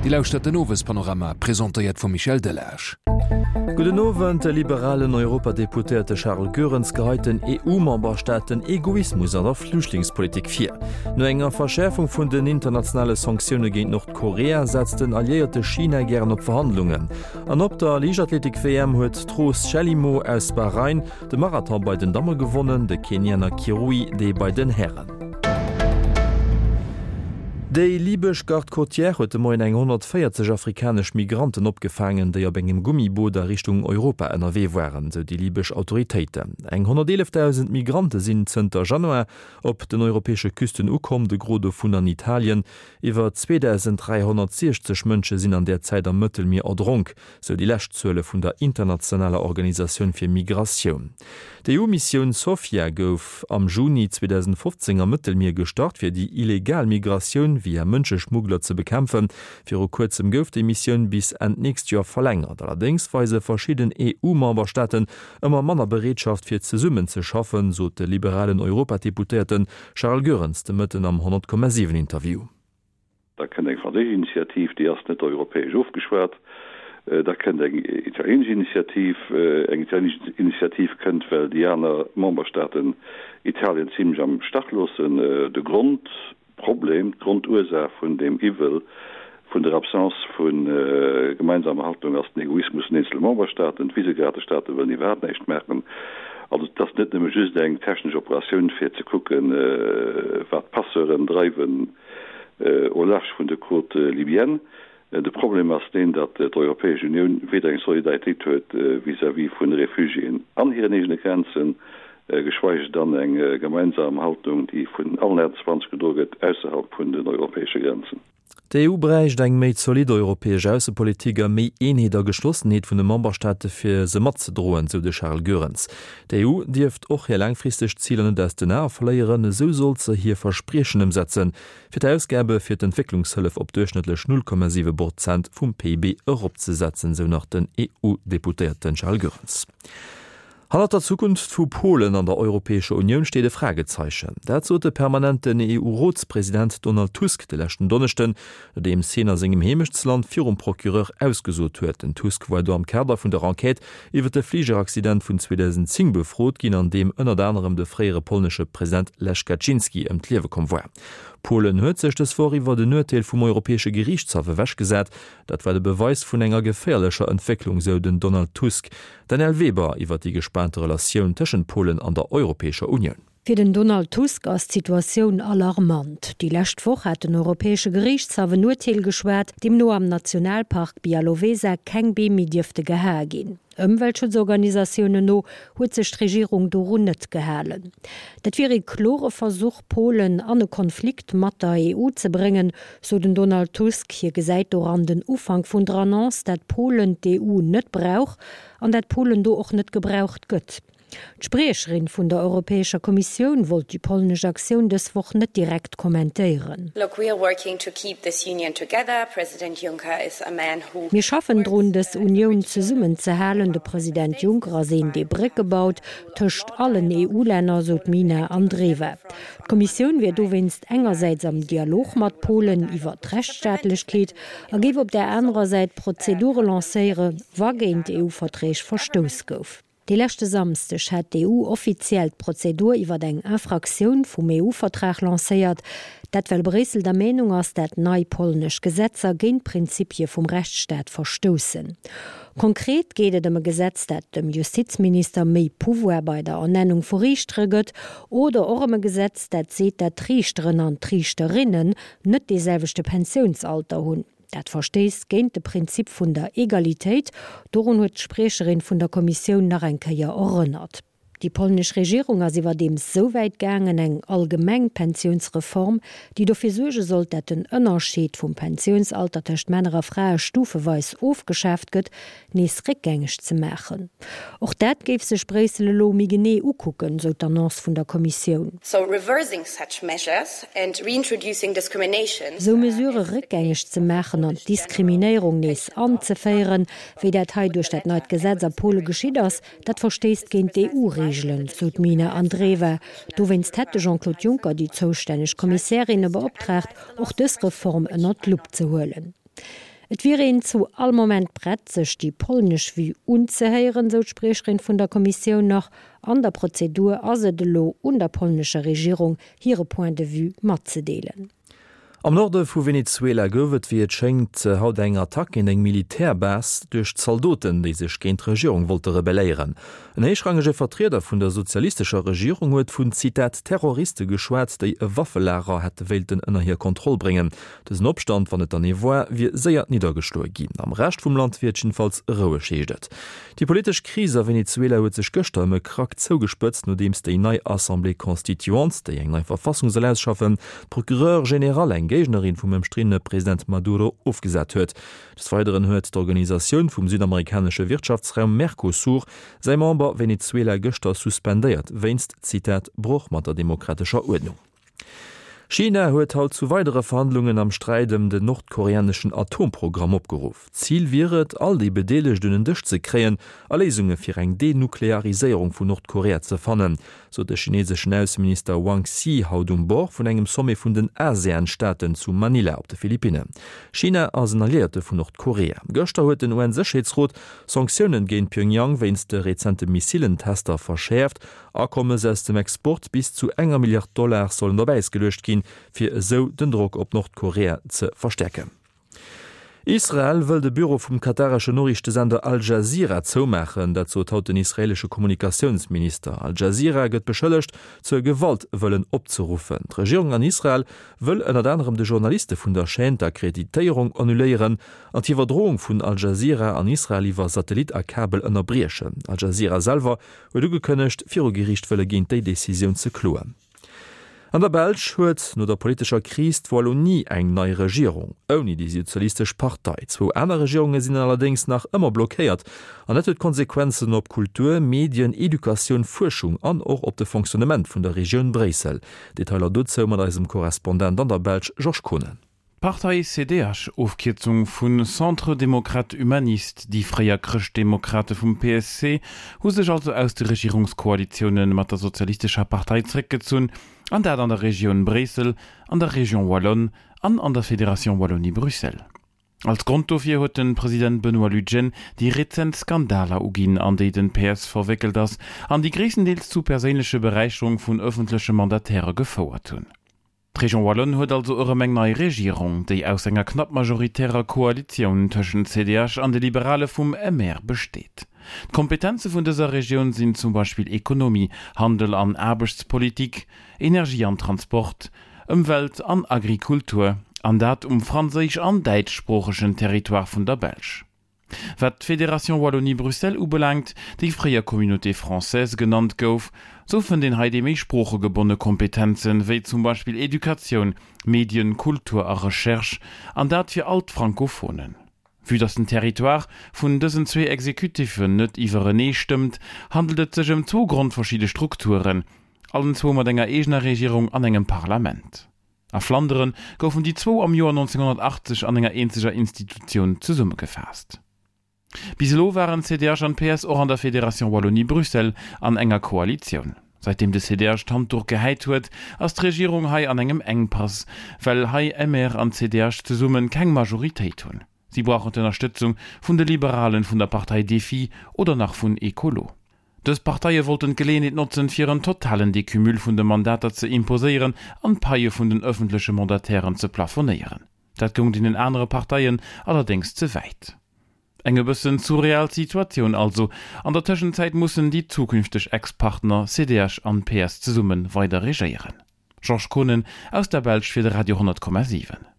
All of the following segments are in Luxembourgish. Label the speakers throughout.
Speaker 1: Dir lauschtert den Owespanorama, presentéiert vum Michel Delage.
Speaker 2: Gudden Owend. De liberalen Europadeputéierte Charles Goerens geheit den EU-Memberstaaten Egoismus an der Flüchtlingspolitik vir. No enger Verschäerfung vun den internationale Sanktioune géint Nordkorea setzt den Alliéierte China gären op Verhandlungen. An op der Liichtathletik-WM huet d'Rose Chelimo aus Bahrain De Marathon bei den Damme gewonnen, de Kenianer Kirui dee bei den Hären. Déi libesch Garde côtière huet de Moien eng 140 afrikanesch Migranten opgefaangen, déi op engem Gummiboot a Richtung Europa ënnerwee waren, sou déi libesch Autoritéiten. Eng 111.000 Migrante sinn zënter Januar op den europäesche Küsten ukomm, de Gros dovun an Italien. Iwwer 2.360 Mënsche sinn an där Zäit am Mëttelmier erdronk. sou déi lescht Zuele vun der internationaler Organisatioun fir Migratioun. D'EU-Missioun Sophia gouf am Juni 2015 am Mëttelmier gestart, fir déi illegal Migratioun via Mënscheschmuggler ze bekämpfen. Viru kuerzem gouf déi Missioun bis Enn d'nächst Joer verlängert. Allerdéngs weise verschidden EU-Memberstaaten ëmmer manner Bereetschaft fir zesummen ze schaffen, sot de liberalen Europadeputéierte Charles Goerens de Mëtten am 100,7 Interview.
Speaker 3: Da kënnt eng franséisch Initiativ, déi ass net europäesch ofgeschwat. Da kënnt eng italienesch Initiativ. Eng italienesch Initiativ kënnt, well déi aner Memberstaaten Italien zimlech am Stach loossen. De Grondproblem, d'Grondursaach vun deem Iwwel, vun der Absence vu gemeinsamer Haltung ass den Egoismus vun eenzele Memberstaaten. D'Visegrad-Staate wëllen iwwerhaapt näischt maachen. Also et ass net nëmme just eng technesch Operatioun, fir ze kucken, wat d'Passeuren dreiwen, au large vun de Côtes libyennes. De Problem ass deen, datt d'Europäesch Unioun weder eng Solidaritéit huet vis-à-vis vun de Refugiéen an hiren eegene Grenzen, geschweige dann eng gemeinsam Haltung, déi vun allen 28 gedroe gëtt ausserhalb vun den europäesche Grenzen.
Speaker 2: D'EU bräicht eng méi zolidd europäesch Aussepolitik a méi Eenheet a Geschlossenheet vun de Memberstaate fir se matzedroen, sou de Charles Goerens. D'EU dierft och hir laangfristeg Ziler net aus den Ae verléieren, esou sollt se hir Verspriechen ëmsetzen, fir d'Ausgabe fir d'Entwécklungshëllef op duerchschnëttlech 0,7 Prozent vum PIB eropzesetzen, sou nach den EU-Deputéierte Charles Goerens. Hannert der Zukunft vu Polen an der Europäescher Unioun steet e Fragezeichen. Dat sot de permanenten EU-Rotspresident Donald Tusk de leschten Donneschden, nodeems hien a sengem Heemechtsland virum Procureur ausgesot huet. Den Tusk war do am Kader vun der Enquête iwwer de Fligeraccident vun 2010 befrot ginn, an deem ënnert anerem de fréiere polnesche President Lech Kaczynski ëm d'Liewe komm war. Polen huet sech dës Woch iwwer en Urteel vum Europäesche Geriichtshaff ewechgesat. Dat war de Beweis vun enger geféierlecher Entwécklung, sou den Donald Tusk. D'Danièle Weber iwwer déi gespaante Relatioun tëschent Polen an der Europäescher Unioun.
Speaker 4: Fir den Donald Tusk ass d'Situatioun alarmant. Déi lescht Woch hat den Europäesche Geriichtshaff en Urteel geschwat, deemno am Nationalpark Białowieża keng Beem méi dierfte gehae ginn. Ëmweltschutzorganisatiounen no huet sech d'Regierung dorun net gehalen. Dat wier ee klore Versuch, Polen an e Konflikt mat der EU ze bréngen, sou den Donald Tusk. Hie gesäit doran den Ufank vun der Annonce, dat Polen d'EU net brauch an dat Polen do och net gebraucht gëtt. D'Spriecherin vun der Europäescher Kommissioun wollt déi polnesch Aktioun dës Woch net direkt kommentéieren. Mir schaffen drun, dës Unioun zesummen ze halen. De President Juncker ass een, dee Brécke baut tëscht allen EU-Länner, sou d'Mina Andreeva. D'Kommissioun wier dowéinst engersäits am Dialog mat Polen iwwer d'Rechtsstaatlechkeet a géif op där anerer Säit Prozedure lancéiere wa géint EU-Verträg verstouss gouf. De leschte Samsdeg hat d'EU offiziell d'Prozedur iwwer eng Infraktioun vum EU-Vertrag lancéiert. Dat well Bréissel der Meenung ass, dat nei polnesch Gesetzer géint d'Prinzipie vum Rechtsstaat verstoussen. Konkret geet et ëm e Gesetz, dat dem Justizminister méi Pouvoir bei der Ernennung vu Riichtere gëtt, oder och ëm e Gesetz, dat seet, dat d'Riichteren an d'Riichterinnen net dee selwechte Pensiounsalter hunn. Dat verstéisst géint de Prinzip vun der Egalitéit. Dorun huet d'Spriecherin vun der Kommissioun nach eng Kéier erënnert. Déi polnesch Regierung ass iwwerdeems sou wäit gaangen, eng allgemeng Pensiounsreform, déi dofir suerge sollt, dat den Ënnerscheed vum Pensiounsalter tëscht Männer a Frae stufeweis ofgeschaaft gëtt, nees réckgängeg ze maachen. Och dat géif sech Bréissel elo méi genee ukucken, sou d'Annonce vun der Kommissioun. Sou Mesurë réckgängeg ze maachen an d'Diskriminéierung nees anzeféieren, wéi dat hei duerch dat neit Gesetz a Pole geschitt ass, Dat verstéisst géint d'EU-Reegelen, sou d'Mina Andreeva. Dowéinst hätt de Jean-Claude Juncker déi zoustänneg Kommissärinne beoptraagt, och dës Reform ënnert d'Lupp ze huelen. Et wier een zu all Moment prett, sech déi polnesch Vue unzehéieren, sou d'Spriecherin vun der Kommissioun nach. An der Prozedur ass et elo un der polnescher Regierung, hire Point de vue matzedeelen.
Speaker 2: Am Norde vu Venezuela gouf et, wéi et schéngt, haut eng Attack géint eng Militärbase duerch Zaldoten, déi sech géint d'Regierung wollte rebelléieren. En héichrangege Vertrieder vun der sozialistescher Regierung huet vun, Zitat, Terroriste geschwat, déi e Waffelager hätte wéilten ënner hir Kontroll bréngen. Dësen Opstand, wann et dann ee war, wier séier niddergeschloe ginn. Am Rescht vum Land wier et jiddefalls roueg, heescht et. Déi politesch Kris a Venezuela huet sech gëschter ëm e Krack zougespëtzt, nodeems déi nei Assemblée constituante, déi eng nei Verfassung soll ausschaffen, d'Procureure générale, eng Géignerin vum ëmstriddene President Maduro, ofgesat huet. Des Weideren huet d'Organisatioun vum südamerikanesche Wirtschaftsraum Mercosur säi Member Venezuela gëschter suspendéiert, wéinst, Zitat, Broch mat der demokratescher Uerdnung. China huet haut zu weidere Verhandlungen am Sträit ëm den nordkoreaneschen Atomprogramm opgeruff. Zil wier et, all déi Bedeelegt un en Dësch ze kréien a Léisunge fir eng Denukleariséierung vun Nordkorea ze fannen, sot de chineseschen Ausseminister Wang Xi haut um Bord vun engem Sommet vun den ASEAN-Staaten zu Manila op de Philippinnen. China ass en Alliéierte vun Nordkorea. Gëschter huet den UN-Sécherheetsrot Sanktiounen géint Pyongyang wéinst de rezente Missilentester verschäerft Akommes aus dem Export bis zu enger Milliard Dollar sollen op Äis geluecht ginn, fir esou den Drock op Nordkorea ze verstäerken. Israel wëll de Büro vum katareschen Noriichtesender Al Jazeera zoumaachen. Dat sot haut den israeelesche Kommunikatiounsminister. Al Jazeera gëtt beschëllegt, zur Gewalt wëllen opzeruffen. D'Regierung an Israel wëll ënnert anerem de Journaliste vun der Chaîne d'Akkreditéierung annuléieren an d'Iwwerdroung vun Al Jazeera an Israel iwwer Satellit a Kabel ënnerbriechen. Al Jazeera selwer huet ugekënnegt, viru Geriicht wëlle géint déi Decisioun ze kloen. An der Belsch huet no der politescher Kris d'Wallonie eng nei Regierung, ouni déi sozialistesch Partei. Zwou aner Regierunge sinn allerdéngs nach ëmmer blockéiert an dat huet Konsequenzen op Kultur, Medien, Educatioun, Fuerschung an och op de Fonctionnement vun der Regioun Bréissel. Detailer dozou mat eisem Korrespondent an der Belsch Georges Kohnen.
Speaker 5: D'Partei CDH, Ofkierzung vu Centre Démocrate Humaniste, déi fréier Chrëschtdemokrate vum PSC, hu sech also aus de Regierungskoalitioune mat der Sozialistescher Partei zréckgezunn, an dat an der Regioun Bréissel, an der Région Wallonne an an der Fédération Wallonie-Bruxelles. Als Grond dofir huet de President Benoît Lutgen déi rezent Skandaler uginn, an déi den PS verwéckelt ass an déi gréisstendeels zu perséinleche Beräicherung vun ëffentleche Mandatairë gefouert hunn. D'Région Wallonne huet also erëm eng nei Regierung, déi aus enger knapp majoritärer Koalitioun tëschent CDH an de Liberale vum MR besteet. D'Kompetenze vun dëser Regioun sinn zum Beispill Ekonomie, Handel an Aarbechtspolitik, Energie an Transport, Ëmwelt an Agrikultur, an dat um franséisch an däitschsproochegen Territoire vun der Belsch. Wat d'Fédération Wallonie-Bruxelles ubelaangt, déi fréier Communauté française genannt gouf, sou fënnt een hei déi méi sproochegebonne Kompetenzen, wéi zum Beispill Educatioun, Medien, Kultur a Recherche, an dat fir all d'Francophonen. Vue dass den Territoire vun dësen zwee Executiffen net iwwerenee stëmmt, handelt et sech ëm zwou grondverschidde Strukturen, allen zwou mat enger eegener Regierung an engem Parlament. A Flandere goufen déi zwou am Joer 1980 an enger eenzeger Institutioun zesummegefaasst. Bis elo waren CDH an PS och an der Fédération Wallonie-Bruxelles an enger Koalitioun. Säitdeem de CDH d'Handduch gehäit huet, ass d'Regierung hei an engem Engpass, well hei MR an CDH zesumme keng Majoritéit hunn. Si brauchen d'Ënnerstëtzung vun de Liberalen, vun der Partei Défi oder nach vun Ecolo. Dës Parteie wollten d'Geleeënheet notzen, fir en totalen Decumul vun de Mandater ze imposéieren an d'Paie vun den ëffentleche Mandatairen ze plafonéieren. Dat goung deenen anere Parteien allerdéngs ze wäit. Eng e bëssen surreal Situatioun also. An der Tëschenzäit mussen déi zukünfteg Ex-Partner CDH an PS zesumme weider regéieren. Georges Kohnen aus der Belsch fir de Radio 10,7.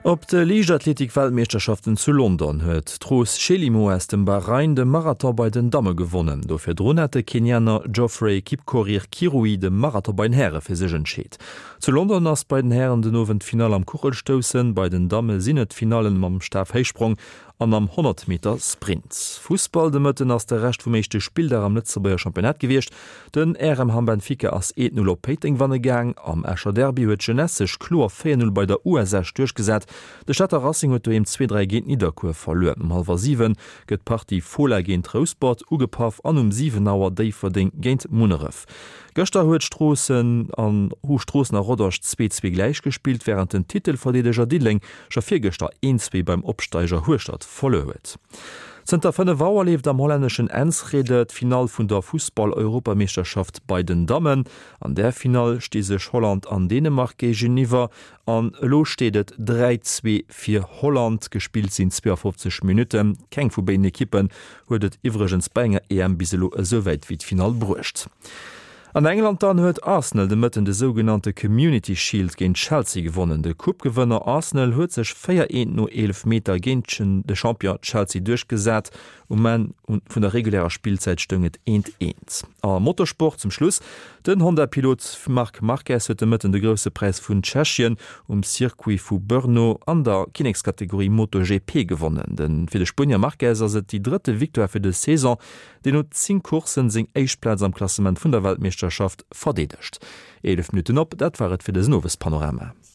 Speaker 2: Op de Liichtathletik-Weltmeeschterschaften zu London huet d'Rose Chelimo aus dem Bahrain de Marathon bei den Damme gewonnen. Do virdrun hat de Kenianer Geoffrey Kipkorir Kirui de Marathon bei den Häre fir sech entscheet. Zu London ass bei den Hären den Owend d'Finall am Kuchelstoussen, bei den Damme sinn et d'Finallen mam Stafhéichsprong. an am 100 Meter Sprint. Fussball, De Mëtten ass de Rescht vum éischte Spilldag am Lëtzebuerger Championnat gewiescht. Den RM Hamm Benfica ass 1, 0 op Péiteng wanne gaang. Am Escher Derby huet d'Jeunesse sech kloer 4, 0 bei der US Esch duerchgesat. De Stater Racing huet doheem 2, 3 géint Nidderkuer verluer. Um hallwer 7 gëtt d'Partie Fola géint Rouspert ugepaff an um 7 Auer Déifferdeng géint Munneref. Gëschter huet Stroossen an hu Stroossen a Rodange 2, 2 gläich gespillt, wärend den Titelverdeedeger Diddeleng scho virgëschter 1, 2 beim Opsteiger Hueschtert verluer huet. Zënter 5 Auer leeft am hollänneschen Enschede d'Finall vun der Fussball-Europameeschterschaft bei den Dammen. An där Finall sti sech Holland an Dänemark géigeniwwer an elo steet et 3, 2 fir Holland. Gespillt sinn 52 Minutten. Keng vu béiden Ekippen huet et iwwregens bei enger EM bis elo esou wäit wéi d'Finall bruecht. An England dann huet Arsenal de Mëtten de sougenannte Community Shield géint Chelsea gewonnen. De Coupe-Gewënner Arsenal huet sech 4, 1 no Eelefmeter géint de Champion Chelsea duerchgesat. Um Enn vun der regulärer Spillzäit stoung et 1, 1. Am Motorsport zum Schluss, Den Honda-Pilot Marc Marquez huet de Mëtten de Grousse Präis vun Tschechien um Circuit vu Brno an der Kinnekskategorie MotoGP gewonnen. Fir de Spuenier Marquez ass et déi drëtte Victoire fir dës Saison. deen no 10 Courssen seng éischt Plaz am Klassement vun der Weltmeeschterschaft verdeedegt. 11 Minutten op, dat war et fir dësen Owespanorama.